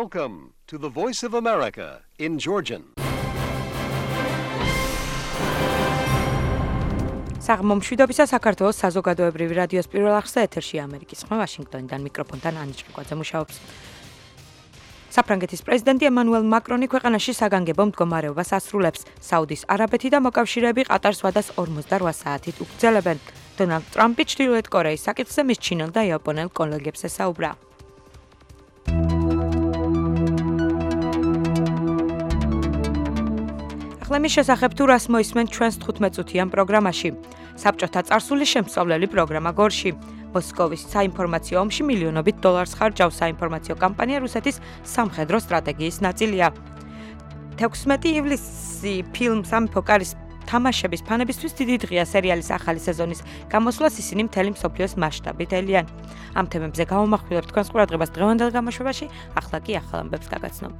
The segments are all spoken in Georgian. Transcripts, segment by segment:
Welcome to the Voice of America in Georgian. საღმომშვიდობისა საქართველოს საზოგადოებრივი რადიოს პირველ არხზე ეთერში ამერიკის ხმა ვაშინგტონიდან მიკროფონთან ანა ჭრიკვაძე მუშაობს. საფრანგეთის პრეზიდენტი ემანუელ მაკრონი ქვეყანაში საგანგებო მდგომარეობას ასრულებს. საუდის არაბეთი და მოკავშირეები ყატარს ვადას 48 საათით უგრძელებენ. დონალდ ტრამპი ჩრდილოეთ კორეის საკითხზე მის ჩინელ და იაპონელ კოლეგებს ესაუბრა. მის შესახებ თუ რას მოისმენ ჩვენს 15 წუთიან პროგრამაში. საბჭოთა წარსულის შემსწავლელი პროგრამა გორში. მოსკოვის საინფორმაციო ომში მილიონობით დოლარს ხარჯავს საინფორმაციო კამპანია რუსეთის სამხედრო სტრატეგიის ნაწილია. 16 ივლისი ფილმ სამეფო კარის თამაშების ფანებისთვის დიდი დღეა სერიალის ახალი სეზონის გამოსვლას ისინი მთელი მსოფლიოს მასშტაბით ელიან. ამ თემებზე გავამახვილებთ თქვენს ყურადღებას დღევანდელ გამოშვებაში, ახლა კი ახალ ამბებს გაგაცნობ.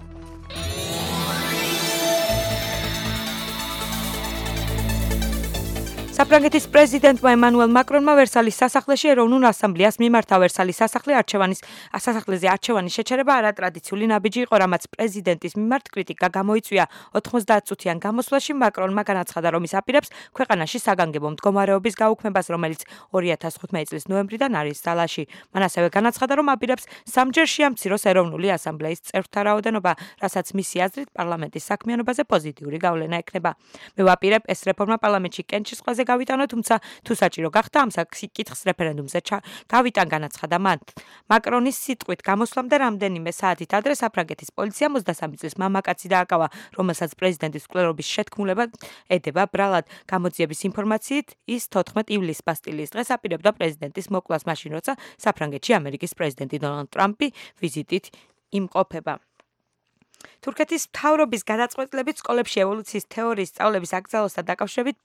საფრანგეთის პრეზიდენტმა ემანუელ მაკრონმა ვერსალის სასახლეში ეროვნულ ასამბლეას მიმართა. ვერსალის სასახლეზე არჩევანის შეჩერება არატრადიციული ნაბიჯი იყო, რამაც პრეზიდენტის მიმართ კრიტიკა გამოიწვია. 90 წუთიან გამოსვლაში მაკრონმა განაცხადა, რომ ის აპირებს ქვეყანაში საგანგებო მდგომარეობის გაუქმებას, რომელიც 2015 წლის ნოემბრიდან არის ძალაში. მან ასევე განაცხადა, რომ აპირებს სამჯერ შეამციროს ეროვნული ასამბლეის წევრთა რაოდენობა, რასაც მისი აზრით პარლამენტის საქმიანობაზე პოზიტიური გავლენა ექნება. მე ვაპირებ ეს რეფორმა პარლამენტში კენჭის ყველაზე გავიტანო, თუმცა თუ საჭირო გახდა ამ საკითხს რეფერენდუმზე გავიტან, განაცხადა მან. მაკრონის სიტყვით გამოსვლამდე რამდენიმე საათით ადრე საფრანგეთის პოლიციამ 23 წლის მამაკაცი დააკავა, რომელსაც პრეზიდენტის მკვლელობის შეთქმულება ედება ბრალად. გამოძიების ინფორმაციით ის 14 ივლისს ბასტილიის დღეს აპირებდა პრეზიდენტის მოკვლას, მაშინ როცა საფრანგეთში ამერიკის პრეზიდენტი დონალდ ტრამპი ვიზიტით იმყოფება. თურქეთის მთავრობის გადაწყვეტილებით სკოლებში ევოლუციის თეორიის სწავლების აკრძალვასთან დაკავშირებით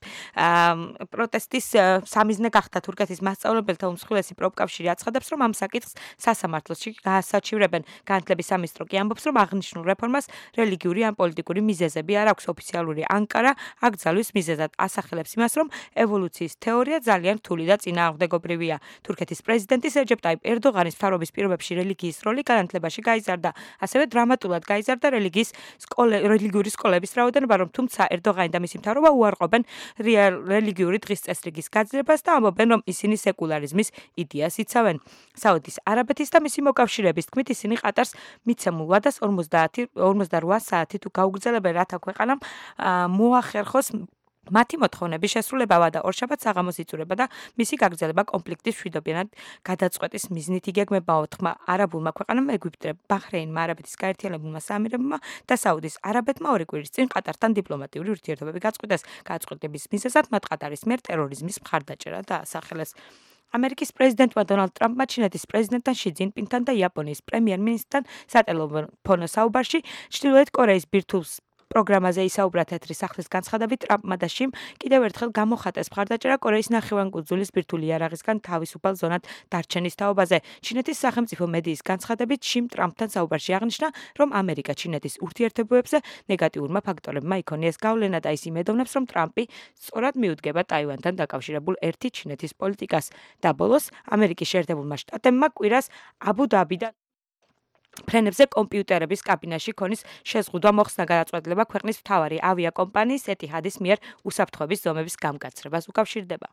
პროტესტის სამიზნე გახდა. თურქეთის მასწავლებელთა უმსხვილესი პროფკავშირი აცხადებს, რომ ამ საკითხს სასამართლოში გაასარჩივრებენ. განათლების სამინისტრო კი ამბობს, რომ აღნიშნულ რეფორმას რელიგიური ან პოლიტიკური მიზეზები არ აქვს. ოფიციალური ანკარა აკრძალვის მიზეზად ასახელებს იმას, რომ ევოლუციის თეორია ძალიან რთული და წინააღმდეგობრივია. თურქეთის პრეზიდენტის რეჯეპ ტაიპ ერდოღანის მთავრობის პირობებში რელიგიის როლი განათლებაში გაიზარდა. ასევე დრამატულად გაიზარდა რელიგიური სკოლების რაოდენობა, რომ თუმცა ერდოღანი და მისი მთავრობა უარყოფენ რელიგიური დღის წესრიგის გაძლებას და ამბობენ, რომ ისინი სეკულარიზმის იდეას იცავენ. საუდის არაბეთის და მისი მოკავშირეების თქმით, ისინი ყატარს მიცემულ ვადას 48 საათით გაუგრძელებენ, რათა ქვეყანამ მოახერხოს მათი მოთხოვნების შესრულება, ვადა ორშაბათს საღამოს იწურება და მისი გაგრძელება კონფლიქტის მშვიდობიანად გადაწყვეტის მიზნით იგეგმება. ოთხმა არაბულმა ქვეყანამ, ეგვიპტე, ბაჰრეინმა, არაბეთის გაერთიანებულმა საამირებმა და საუდის არაბეთმა 2 კვირის წინ ყატართან დიპლომატიური ურთიერთობები გაწყვიტეს. გადაწყვეტების მიზეზად მათ ყატარის მიერ ტერორიზმის მხარდაჭერა დაასახელეს. ამერიკის პრეზიდენტმა დონალდ ტრამპმა ჩინეთის პრეზიდენტთან ში ძინპინთან და იაპონიის პრემიერ-მინისტრთან სატელეფონო საუბარში ჩრდილოეთ კორეის ბირთვულ პროგრამაზე ისაუბრა. თეთრი სახლის განცხადებით ტრამპმა და შიმ კიდევ ერთხელ გამოხატეს მხარდაჭერა კორეის ნახევარკუნძულის ბირთვული იარაღისგან თავისუფალ ზონად დარჩენის თაობაზე. ჩინეთის სახელმწიფო მედიის განცხადებით შიმ ტრამპთან საუბარში აღნიშნა, რომ ამერიკა-ჩინეთის ურთიერთობებზე ნეგატიურმა ფაქტორებმა იქონიეს გავლენა და ის იმედოვნებს, რომ ტრამპი სწორად მიუდგება ტაივანთან დაკავშირებულ ერთი ჩინეთის პოლიტიკას. და ბოლოს ამერიკის შეერთებულმა შტატებმა კვირას აბუ-დაბიდან ფრენებზე კომპიუტერების კაბინაში ქონის შეზღუდვა მოხსნა. გადაწყვეტილება ქვეყნის მთავარი ავიაკომპანიის ეტიჰადის მიერ უსაფრთხოების ზომების გამკაცრებას უკავშირდება.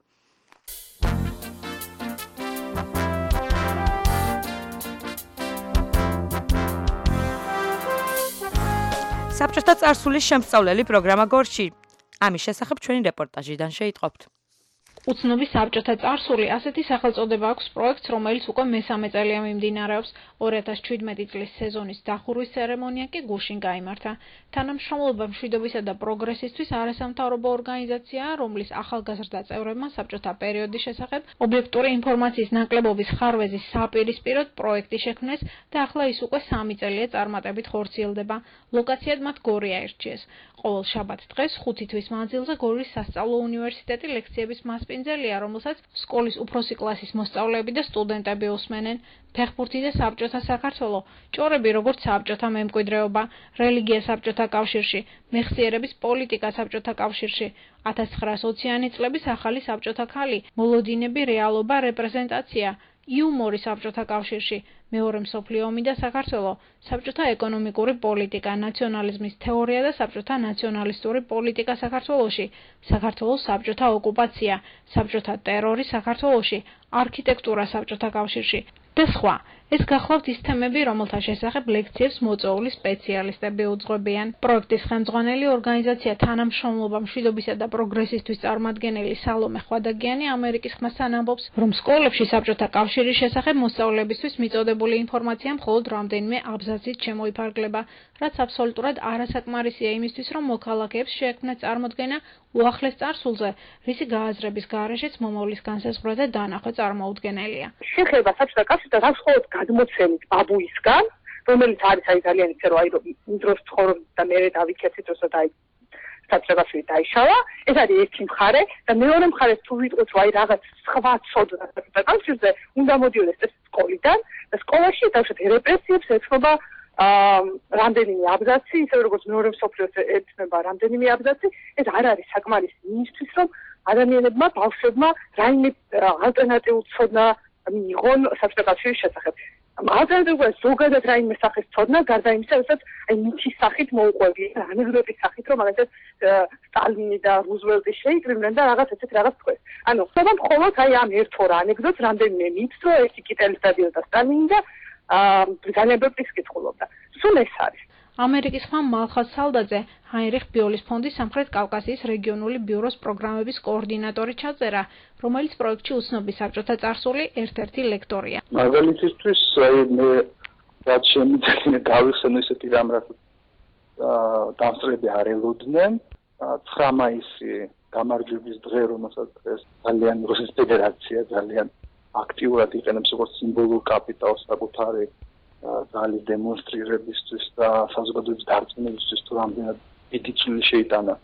საბჭოთა წარსულის შემსწავლელი პროგრამა გორში. ამის შესახებ ჩვენი რეპორტაჟიდან შეიტყობთ. უცნობი საბჭოთა წარსული ასეთი სახელწოდება აქვს პროექტს, რომელიც უკვე მესამე წელია მიმდინარეობს. 2017 წლის სეზონის დახურვის ცერემონია კი გუშინ გაიმართა. თანამშრომლობა მშვიდობისა და პროგრესისთვის არასამთავრობო ორგანიზაციაა, რომლის ახალგაზრდა წევრებმა საბჭოთა პერიოდის შესახებ ობიექტური ინფორმაციის ნაკლებობის ხარვეზის საპირისპიროდ პროექტი შექმნეს და ახლა ის უკვე 3 წელია წარმატებით ხორციელდება. ლოკაციად მათ გორი აირჩიეს. ყოველ შაბათ დღეს 5 თვის მანძილზე გორის სასწავლო უნივერსიტეტი ლექციების მასპინძელია, რომელსაც სკოლის უფროსი კლასის მოსწავლეები და სტუდენტები უსმენენ. ფეხბურთი და საბჭოთა საქართველო, ჭორები როგორც საბჭოთა მემკვიდრეობა, რელიგია საბჭოთა კავშირში, მეხსიერების პოლიტიკა საბჭოთა კავშირში, 1920-იანი წლების ახალი საბჭოთა ქალი, მოლოდინები, რეალობა, რეპრეზენტაცია, იუმორი საბჭოთა კავშირში, მეორე მსოფლიო ომი და საქართველო, საბჭოთა ეკონომიკური პოლიტიკა, ნაციონალიზმის თეორია და საბჭოთა ნაციონალისტური პოლიტიკა საქართველოში, საქართველოს საბჭოთა ოკუპაცია, საბჭოთა ტერორი საქართველოში, არქიტექტურა საბჭოთა კავშირში და სხვა. ეს გახლავთ ის თემები, რომელთა შესახებ ლექციებს მოწვეული სპეციალისტები უძღვებიან. პროექტის ხელმძღვანელი ორგანიზაცია თანამშრომლობა მშვიდობისა და პროგრესისთვის წარმომადგენელი სალომე ხვადაგიანი ამერიკის ხმასთან ამბობს, რომ სკოლებში საბჭოთა კავშირის შესახებ მოსწავლეებისთვის მიწოდებული ინფორმაცია მხოლოდ რამდენიმე აბზაცით შემოიფარგლება, რაც აბსოლუტურად არასაკმარისია იმისთვის, რომ მოქალაქეებს შეექმნათ წარმოდგენა უახლეს წარსულზე, რისი გააზრების გარეშეც მომავლის განსაზღვრა და დანახვა წარმოუდგენელია. შეხება საბჭოთა კავშირთან მხოლოდ გადმოცემით ბაბუისგან, რომელიც არის ძალიან ისე რომ იმ დროს ცხოვრობდა და მე დავიქეცით როცა საბჭოთა კავშირი დაიშალა, ეს არის ერთი მხარე და მეორე მხარე თუ ვიტყვით რომ რაღაც სხვა ცოდნა საბჭოთა კავშირზე უნდა მოდიოდეს ეს სკოლიდან და სკოლაში თავშეთ რეპრესიებს ეთქობა რამდენიმე აბზაცი, ისე როგორც მეორე მსოფლიოს ეთნება რამდენიმე აბზაცი, ეს არ არის საკმარისი იმისთვის, რომ ადამიანებმა, ბავშვებმა რაიმე ალტერნატიულ ცოდნა მიიღონ საბჭოთა კავშირის შესახებ. ალტერნატივა ზოგადად რაიმე სახის ცოდნა, გარდა იმისა, რასაც მითის სახით მოუყვებიან, ანეკდოტის სახით, რომ მაგალითად სტალინი და რუზველტი შეიკრიბნენ და რაღაც ესეთ რაღაც თქვეს. ანუ ხდება მხოლოდ ამ ერთ ორ ანეკდოტს რამდენიმე მითს, რომ ერთი კიტელის დადიოდა სტალინი და ბრიტანელებს კითხულობდა. სულ ეს არის. ამერიკის ხმა მალხაზ სალდაძე, ჰაინრიხ ბიოლის ფონდის სამხრეთ კავკასიის რეგიონული ბიუროს პროგრამების კოორდინატორი ჩაწერა, რომელიც პროექტში უცნობი საბჭოთა წარსული ერთ-ერთი ლექტორია. მაგალითისთვის, მე რაც შემიძლია გავიხსენო ისეთი რამ, რაც დამსწრები არ ელოდნენ, 9 მაისი გამარჯვების დღე, რომელსაც დღეს ძალიან რუსეთის ფედერაცია ძალიან აქტიურად იყენებს როგორც სიმბოლურ კაპიტალს საკუთარი ძალის დემონსტრირებისთვის და საზოგადოების დარწმუნებისთვის, თუ რამდენად დიდი წვლილი შეიტანა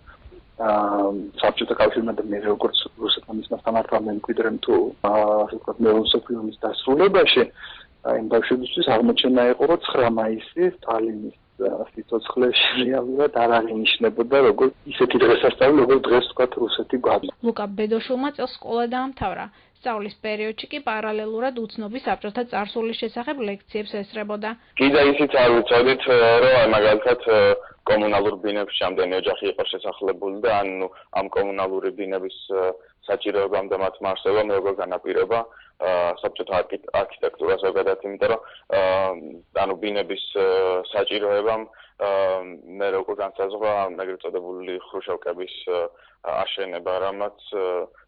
საბჭოთა კავშირმა და მე როგორც რუსეთმა მისმასთან არ მემკვიდრემ თუ ასე ვთქვათ მეორე მსოფლიო ომის დასრულებაში, იმ ბავშვებისთვის აღმოჩენა იყო, რომ 9 მაისი სტალინის სიცოცხლე რეალურად არ აღინიშნებოდა როგორც ისეთი დღესასწაული, როგორც დღეს ვთქვათ რუსეთი გვაქვს. ლუკა ბედოშულმა წელს სკოლა დაამთავრა. სწავლის პერიოდში კი პარალელურად უცნობი საბჭოთა წარსულის შესახებ ლექციებს ესწრებოდა. კიდე ისიც არ ვიცოდით, რომ მაგალითად კომუნალურ ბინებში ამდენი ოჯახი იყო შესახლებული და ანუ ამ კომუნალური ბინების საჭიროებამ და მათ მარსებამ როგორ განაპირობა საბჭოთა არქიტექტურა ზოგადად, იმიტომ რომ ანუ ბინების საჭიროებამ მე როგორ განსაზღვრა ეგრეთ წოდებული ხრუშოვკების აშენება, რამაც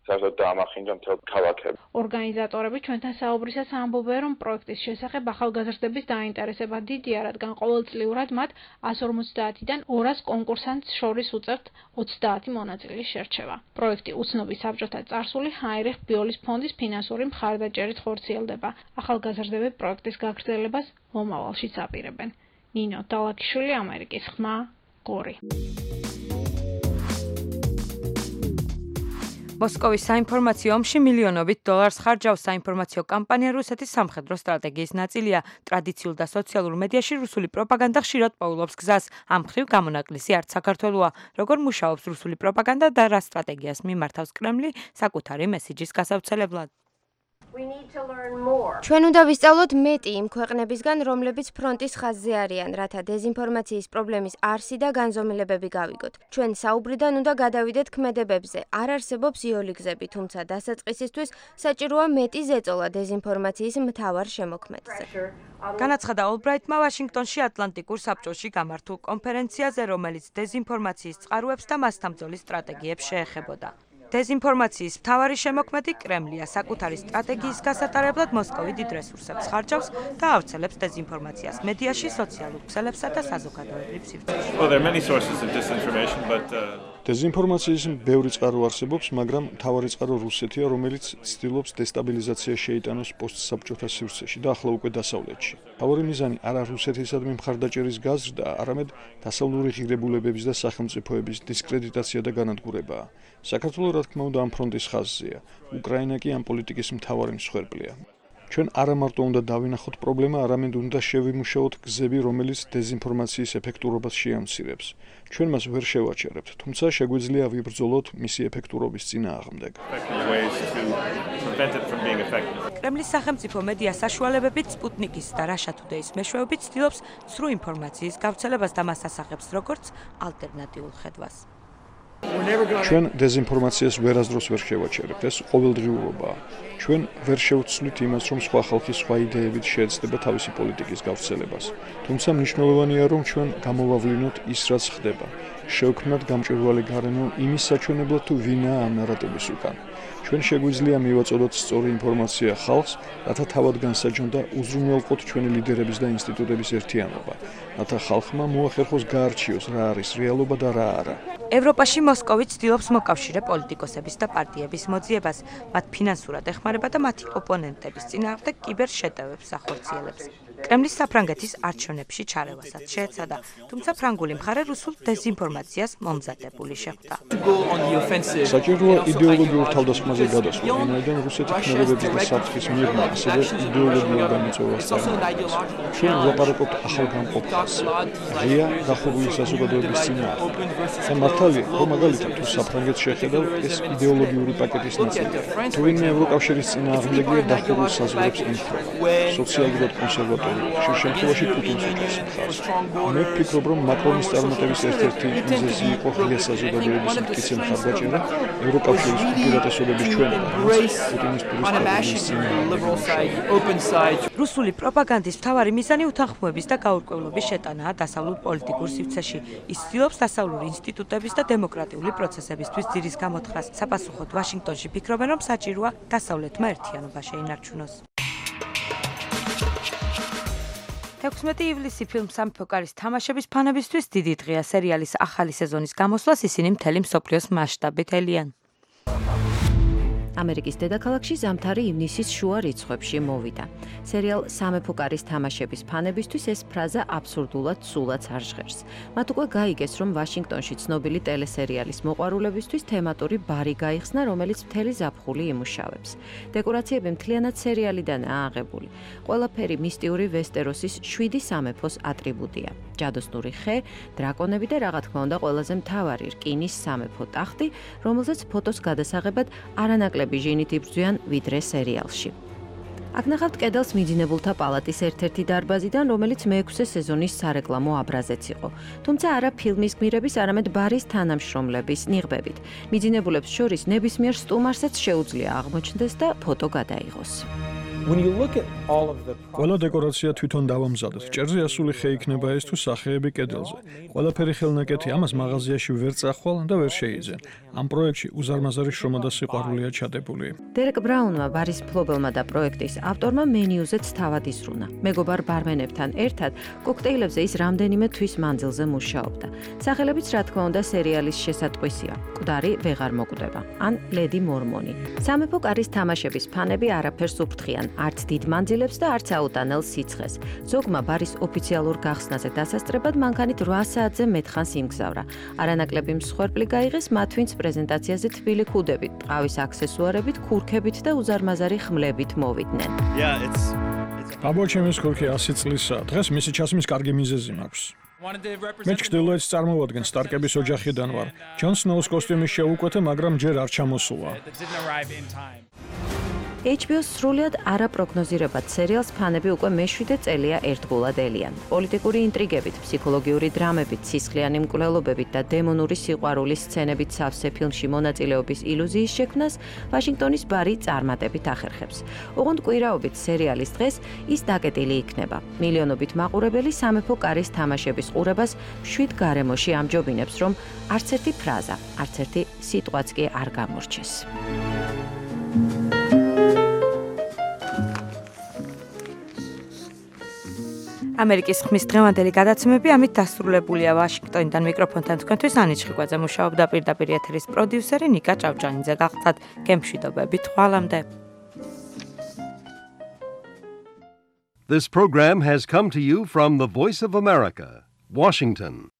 საერთოდ დაამახინჯა მთელ ქალაქებს. ორგანიზატორები ჩვენთან საუბრისას ამბობენ, რომ პროექტის შესახებ ახალგაზრდების დაინტერესება დიდია, რადგან ყოველწლიურად მათ 150-დან 200 კონკურსანტს შორის უწევთ 30 მონაწილის შერჩევა. პროექტი უცნობი საბჭოთა წარსული ჰაინრიხ ბიოლის ფონდის ფინანსური მხარდაჭერით ხორციელდება. ახალგაზრდები პროექტის გაგრძელებას მომავალშიც აპირებენ. ნინო დალაკიშვილი, ამერიკის ხმა, გორი. მოსკოვის საინფორმაციო ომში მილიონობით დოლარს ხარჯავს საინფორმაციო კამპანია რუსეთის სამხედრო სტრატეგიის ნაწილია. ტრადიციულ და სოციალურ მედიაში რუსული პროპაგანდა ხშირად პოულობს გზას. ამ მხრივ გამონაკლისი არც საქართველოა. როგორ მუშაობს რუსული პროპაგანდა და რა სტრატეგიას მიმართავს კრემლი საკუთარი მესიჯის გასავრცელებლად. ჩვენ უნდა ვისწავლოთ მეტი იმ ქვეყნებისგან, რომლებიც ფრონტის ხაზზე არიან, რათა დეზინფორმაციის პრობლემის არსი და განზომილებები გავიგოთ. ჩვენ საუბრიდან უნდა გადავიდეთ ქმედებებზე. არ არსებობს იოლი გზები, თუმცა დასაწყისისთვის საჭიროა მეტი ზეწოლა დეზინფორმაციის მთავარ შემოქმედზე. განაცხადა ოლბრაიტმა ვაშინგტონში ატლანტიკურ საბჭოში გამართულ კონფერენციაზე, რომელიც დეზინფორმაციის წყაროებს და მასთან ბრძოლის სტრატეგიებს შეეხებოდა. დეზინფორმაციის მთავარი შემოქმედი კრემლია საკუთარი სტრატეგიის გასატარებლად მოსკოვი დიდ რესურსებს ხარჯავს და ავრცელებს დეზინფორმაციას მედიაში, სოციალურ ქსელებსა და საზოგადოებრივ სივრცეში. დეზინფორმაციის ბევრი წყარო არსებობს, მაგრამ მთავარი წყარო რუსეთია, რომელიც ცდილობს დესტაბილიზაცია შეიტანოს პოსტსაბჭოთა სივრცეში და ახლა უკვე დასავლეთში. მთავარი მიზანი არა რუსეთისადმი მხარდაჭერის გაზრდა, არამედ დასავლური ღირებულებების და სახელმწიფოების დისკრედიტაცია და განადგურებაა. საქართველო რა თქმა უნდა ამ ფრონტის ხაზზეა. უკრაინა კი ამ პოლიტიკის მთავარი მსხვერპლია. ჩვენ არა მარტო უნდა დავინახოთ პრობლემა, არამედ უნდა შევიმუშაოთ გზები, რომელიც დეზინფორმაციის ეფექტურობას შეამცირებს. ჩვენ მას ვერ შევაჩერებთ, თუმცა შეგვიძლია ვიბრძოლოთ მისი ეფექტურობის წინააღმდეგ. კრემლის სახელმწიფო მედია საშუალებებით სპუტნიკის და Russia Today-ის მეშვეობით ცდილობს ცრუ ინფორმაციის გავრცელებას და მას ასახებს როგორც ალტერნატიულ ხედვას. ჩვენ დეზინფორმაციას ვერასდროს ვერ შევაჩერებთ, ეს ყოველდღიურობაა. ჩვენ ვერ შევცვლით იმას, რომ სხვა ხალხი სხვა იდეებით შეეცდება თავისი პოლიტიკის გავრცელებას. თუმცა მნიშვნელოვანია, რომ ჩვენ გამოვავლინოთ ის, რაც ხდება. შევქმნათ გამჭვირვალე გარემო იმის საჩვენებლად, თუ ვინაა ამ ნარატივის უკან. ჩვენ შეგვიძლია მივაწოდოთ სწორი ინფორმაცია ხალხს, რათა თავად განსაჯონ და უზრუნველყოთ ჩვენი ლიდერების და ინსტიტუტების ერთიანობა, რათა ხალხმა მოახერხოს გაარჩიოს რა არის რეალობა და რა არა. ევროპაში მოსკოვი ცდილობს მოკავშირე პოლიტიკოსების და პარტიების მოძიებას, მათ ფინანსურად ეხმარება და მათი ოპონენტების წინააღმდეგ კიბერშეტევებს ახორციელებს. კრემლის საფრანგეთის არჩევნებში ჩარევასაც შეეცადა, თუმცა ფრანგული მხარე რუსულ დეზინფორმაციას მომზადებული შეხვდა. საჭიროა იდეოლოგიურ თავდასხმაზე გადასვლა, ვინაიდან რუსეთი ქმედებების და საფრთხის მიღმა ასევე იდეოლოგიურ გამოწვევას წარმოადგენს. ჩვენ ვლაპარაკობთ ახალ გამყოფას, ღია დახურული საზოგადოების წინააღმდეგ. და მართალია, რომ მაგალითად თუ საფრანგეთს შეხედავ, ეს იდეოლოგიური პაკეტის ნაწილია. თუ ვინმე ევროკავშირის წინააღმდეგია დახურულ საზღვრებს ემხრობა, სოციალურად კონსერვატორი, ხშირ შემთხვევაში პუტინს უჭერს მხარს. მე ვფიქრობ, რომ მაკრონის წარმატების ერთ-ერთი მიზეზი იყო ღია საზოგადოების მტკიცე მხარდაჭერა ევროკავშირის უპირატესობების ჩვენება, პუტინის რუსული პროპაგანდის მთავარი მიზანი უთანხმოების და გაურკვევლობის შეტანაა დასავლურ პოლიტიკურ სივრცეში. ის ცდილობს დასავლური ინსტიტუტების და დემოკრატიული პროცესებისთვის ძირის გამოთხრას. საპასუხოდ ვაშინგტონში ფიქრობენ, რომ საჭიროა დასავლეთმა ერთიანობა შეინარჩუნოს. 16 ივლისი ფილმ სამეფო კარის თამაშების ფანებისთვის დიდი დღეა. სერიალის ახალი სეზონის გამოსვლას ისინი მთელი მსოფლიოს მასშტაბით ელიან. ამერიკის დედაქალაქში ზამთარი ივნისის შუა რიცხვებში მოვიდა. სერიალ სამეფო კარის თამაშების ფანებისთვის ეს ფრაზა აბსურდულად სულაც არ ჟღერს. მათ უკვე გაიგეს, რომ ვაშინგტონში ცნობილი ტელესერიალის მოყვარულებისთვის თემატური ბარი გაიხსნა, რომელიც მთელი ზაფხული იმუშავებს. დეკორაციები მთლიანად სერიალიდანაა აღებული. ყველაფერი მისტიური ვესტეროსის 7 სამეფოს ატრიბუტია. ჯადოსნური ხე, დრაკონები და რა თქმა უნდა ყველაზე მთავარი რკინის სამეფო ტახტი, რომელზეც ფოტოს გადასაღებად არანაკლები ჟინით იბრძვიან ვიდრე სერიალში. აქ ნახავთ კედელს მიძინებულთა პალატის ერთ-ერთი დარბაზიდან, რომელიც მე-6 სეზონის სარეკლამო აბრაზეც იყო. თუმცა არა ფილმის გმირების, არამედ ბარის თანამშრომლების ნიღბებით. მიძინებულებს შორის ნებისმიერ სტუმარსაც შეუძლია აღმოჩნდეს და ფოტო გადაიღოს. ყველა დეკორაცია თვითონ დავამზადეთ. ჭერზე ასული ხე იქნება ეს თუ სახეები კედელზე. ყველაფერი ხელნაკეთი ამას მაღაზიაში ვერ წახვალ და ვერ შეიძენ. ამ პროექტში უზარმაზარი შრომა და სიყვარულია ჩადებული. დერეკ ბრაუნმა, ბარის მფლობელმა და პროექტის ავტორმა მენიუზეც თავად ისრუნა. მეგობარ ბარმენებთან ერთად კოქტეილებზე ის რამდენიმე თვის მანძილზე მუშაობდა. სახელებიც რა თქმა უნდა სერიალის შესატყვისია. მკვდარი ვეღარ მოკვდება. ან ლედი მორმონი. სამეფო კარის თამაშების ფანები არაფერს უფრთხიან. არც დიდ მანძილებს და არც აუტანელ სიცხეს. ზოგმა ბარის ოფიციალურ გახსნაზე დასასწრებად მანქანით 8 საათზე მეტხანს იმგზავრა. არანაკლები მსხვერპლი გაიღეს მათ ვინც პრეზენტაციაზე თბილი ქუდებით, ტყავის აქსესუარებით, ქურქებით და უზარმაზარი ხმლებით მოვიდნენ. აბა ჩემს ქურქი 100 წლისაა. დღეს მისი ჩასმის კარგი მიზეზი მაქვს. მე ჩრდილოეთს წარმოვადგენ სტარკების ოჯახიდან ვარ. ჯონ სნოუს კოსტიუმის შეუკვეთე, მაგრამ ჯერ არ ჩამოსულა. HBO-ს სრულად არაპროგნოზირებად სერიალს ფანები უკვე მე-7 წელია ერთგულად ელიან. პოლიტიკური ინტრიგებით, ფსიქოლოგიური დრამებით, სისხლიანი მკვლელობებით და დემონური სიყვარულის სცენებით სავსე ფილმში მონაწილეობის ილუზიის შექმნას ვაშინგტონის ბარი წარმატებით ახერხებს. ოღონდ კვირაობით სერიალის დღეს ის დაკეტილი იქნება. მილიონობით მაყურებელი სამეფო კარის თამაშების ყურებას 7 გარემოში ამჯობინებს, რომ არც ერთი ფრაზა, არც ერთი სიტყვაც კი არ გამორჩეს. ამერიკის ხმის დღევანდელი გადაცემები ამით დასრულებულია. ვაშინგტონიდან მიკროფონთან თქვენთვის ანი ჩხიკვაძე მუშაობდა, პირდაპირ ეთერის პროდიუსერი ნიკა ჭავჭანიძე. გახლდათ გემშვიდობებით, ხვალამდე. This program has come to you from the Voice of America, Washington.